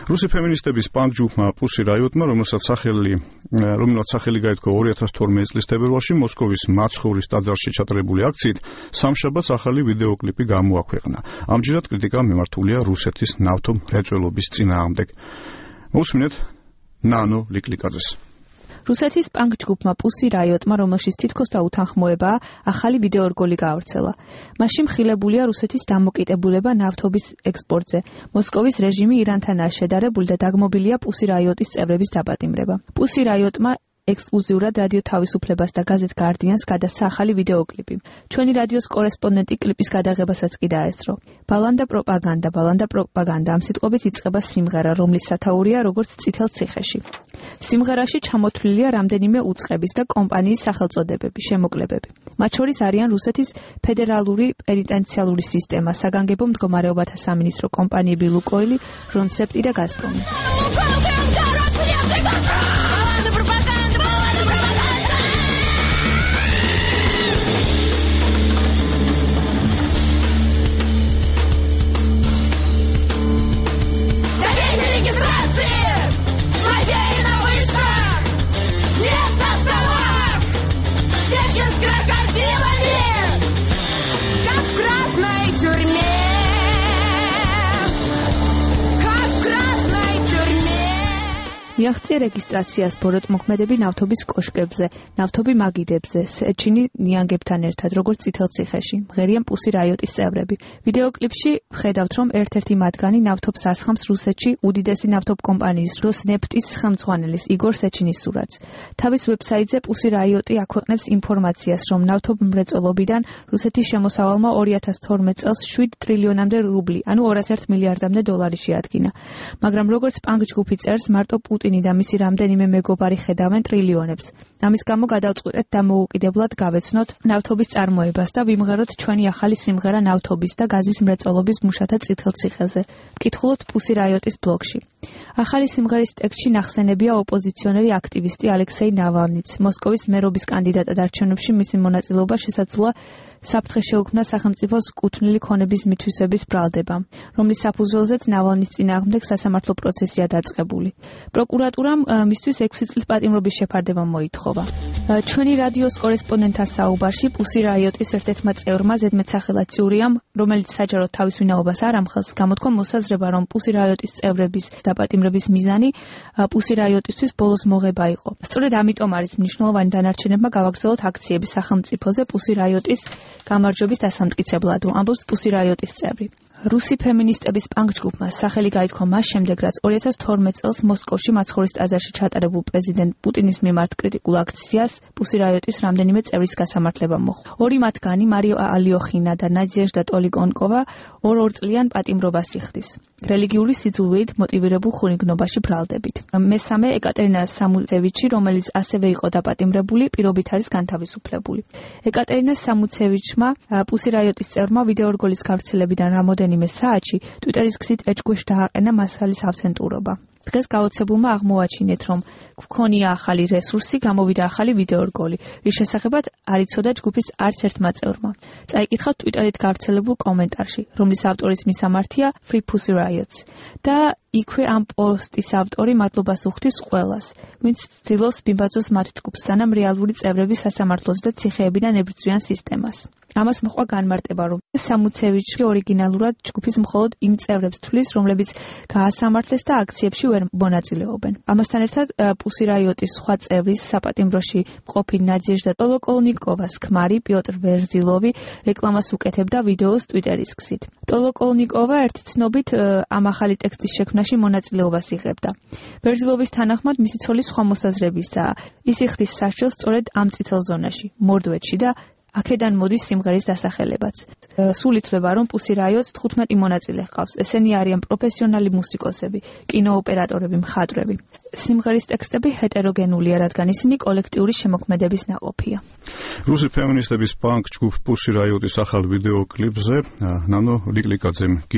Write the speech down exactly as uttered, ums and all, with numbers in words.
რუსი ფემინისტების პანკ ჯგუფმა Pussy Riot-მა, რომელსაც სახელი რომელსაც სახელი გაითქვა ორი ათას თორმეტი წლის თებერვალში მოსკოვის მაცხოვრის ტაძარში ჩატარებული აქციით, სამშაბათს ახალი ვიდეოკლიპი გამოაქვეყნა. ამჯერად კრიტიკა მიმართულია რუსეთის ნავთო მრეწველობის წინააღმდეგ. მოусმინეთ ნანო ლიკლიკაძეს. რუსეთის პანკ ჯგუფმა Pussy Riot-მა, რომელშიც თითქოს დაუთანხმოებაა, ახალი ვიდეორგოლი გაავრცელა. მასში მხილებულია რუსეთის დამოკიდებულება ნავთობის ექსპორტზე. მოსკოვის რეჟიმი ირანთანაა შედარებული და დაგმობილია Pussy Riot-ის წევრების დაპატიმრება. Pussy Riot-მა ექსკლუზიურად რადიო თავისუფლებას და გაზეთ Guardian-ს გადასცა ახალი ვიდეოკლიპი. ჩვენი რადიოს კორესპონდენტი კლიპის გადაღებასაც კი დაესწრო. ბალანდა პროპაგანდა, ბალანდა პროპაგანდა ამ სიტყვებით იწყება სიმღერა, რომლის სათაურია როგორც წითელ ციხეში. სიმღერაში ჩამოთვლილია რამდენიმე უწყების და კომპანიის სახელწოდებები, შემოკლებები. მათ შორის არიან რუსეთის ფედერალური პენიტენციალური სისტემა, საგანგებო მდგომარეობათა სამინისტრო კომპანიები ლუკოილი, რონსეფტი და გაზპრომი. მიაღწია რეგისტრაციას ბოროტმოქმედები ნავთობის კოშკებზე, ნავთობი მაგიდებზე, სეჩინი ნიანგებთან ერთად, როგორც წითელ ციხეში, მღერიან Pussy Riot-ის წევრები. ვიდეოკლიპში ვხედავთ, რომ ერთ-ერთი მათგანი ნავთობს ასხამს რუსეთში უდიდესი ნავთობ კომპანიის როსნეფტის ხელმძღვანელის იგორ სეჩინის სურათს. თავის ვებსაიტზე Pussy Riot-ი აქვეყნებს ინფორმაციას, რომ ნავთობ მრეწველობიდან რუსეთის შემოსავალმა ორი ათას თორმეტ წელს შვიდ ტრილიონამდე რუბლი, ანუ ორას ერთ მილიარდამდე დოლარი შეადგინა. მაგრამ როგორც პანკ ჯგუფი წერს, მარტო პუტინი და მისი რამდენიმე მეგობარი ხედავენ ტრილიონებს. ამის გამო გადავწყვეტეთ დამოუკიდებლად გავეცნოთ ნავთობის წარმოებას და ვიმღეროთ ჩვენი ახალი სიმღერა ნავთობის და გაზის მრეწველობის მუშათა წითელ ციხეზე. ვკითხულობთ Pussy Riot-ის ბლოგში. ახალი სიმღერის ტექსტში ნახსენებია ოპოზიციონერი აქტივისტი ალექსეი ნავალნიც. მოსკოვის მერობის კანდიდატად არჩევნებში მისი მონაწილეობა შესაძლოა საფრთხე შეუქმნა სახელმწიფოს კუთვნილი ქონების მითვისების ბრალდებამ, რომლის საფუძველზეც ნავალნის წინააღმდეგ სასამართლო პროცესია დაწყებული. პროკურატურამ მისთვის ექვსი წლის პატიმრობის შეფარდება მოითხოვა. ჩვენი რადიოს კორესპონდენტთა საუბარში Pussy Riot-ის ერთ-ერთმა წევრმა ზედმეტსახელად წურიამ, რომელიც საჯაროდ თავის ვინაობას არ ამხელს, გამოთქვა მოსაზრება, რომ Pussy Riot-ის წევრების დაპატიმრების მიზანი Pussy Riot-ისთვის ბოლოს მოღება იყო. სწორედ ამიტომ არის მნიშვნელოვანი დანარჩენებმა გავაგრძელოთ აქციები სახელმწიფოზე Pussy Riot-ის გამარჯვების დასამტკიცებლად, ამბობს Pussy Riot-ის წევრი. რუსი ფემინისტების პანკ ჯგუფმა სახელი გაითქვა მას შემდეგ, რაც ორი ათას თორმეტ წელს მოსკოვში მაცხოვრის ტაძარში ჩატარებულ პრეზიდენტ პუტინის მიმართ კრიტიკულ აქციას Pussy Riot-ის რამდენიმე წევრის გასამართლება მოჰყვა. ორი მათგანი, მარია ალიოხინა და ნადიეჟდა ტოლიკონკოვა, ორ-ორწლიან პატიმრობას იხდის. რელიგიური სიძულვით მოტივირებულ ხუნიგნობაში ბრალდებით. მესამე ეკატერინა სამუცევიჩი, რომელიც ასევე იყო დაპატიმრებული, პირობით არის განთავისუფლებული. ეკატერინა სამუცევიჩმა Pussy Riot-ის წევრმა ვიდეორგოლის გავრცელებიდან რამოდენიმე საათში Twitter-ის გზით ეჭქვეშ დააყენა მასალის ავთენტურობა. დღეს გაოცებულმა აღმოაჩინეთ, რომ გვქონია ახალი რესურსი, გამოვიდა ახალი ვიდეორგოლი, რის შესახებაც არ იცოდა ჯგუფის არც ერთმა წევრმა. წაიკითხავთ Twitter-ით გავრცელებულ კომენტარში, რომლის ავტორის მისამართია Free Pussy Riots და იქვე ამ პოსტის ავტორი მადლობას უხდის ყველას, ვინც ცდილობს მიმბაძოს მათ ჯგუფს, სანამ რეალური წევრები სასამართლოს და ციხეებიდან ებრძვიან სისტემას. ამას მოყვა განმარტება, რომ სამუცევიჩი ორიგინალურად ჯგუფის მხოლოდ იმ წევრებს თვლის, რომლებიც გაასამართლეს და აქციებში ვერ მონაწილეობენ. ამასთან ერთად Pussy Riot-ის სხვა წევრის საპატიმროში მყოფი ნადიეჟდა ტოლოკოლნიკოვას ქმარი პიოტრ ვერზილოვი რეკლამას უკეთებდა ვიდეოს Twitter-ის გზით. ტოლოკოლნიკოვა ერთი ცნობით ამ ახალი ტექსტის შექმნაში მონაწილეობას იღებდა. ვერზილოვის თანახმად მისი ცოლის სხვა მოსაზრებისაა. ის იხდის სასჯელს სწორედ ამ წითელ ზონაში, მორდვეთში და აქედან მოდის სიმღერის დასახელებაც. სულ ითვლება, რომ Pussy Riot-ს თხუთმეტი მონაწილე ჰყავს. ესენი არიან პროფესიონალი მუსიკოსები, კინოოპერატორები, მხატვრები. სიმღერის ტექსტები ჰეტეროგენულია, რადგან ისინი კოლექტიური შემოქმედების ნაყოფია. რუსი ფემინისტების პანკ ჯგუფ Pussy Riot-ის ახალ ვიდეოკლიპზე ნანო ლიკლიკაძემ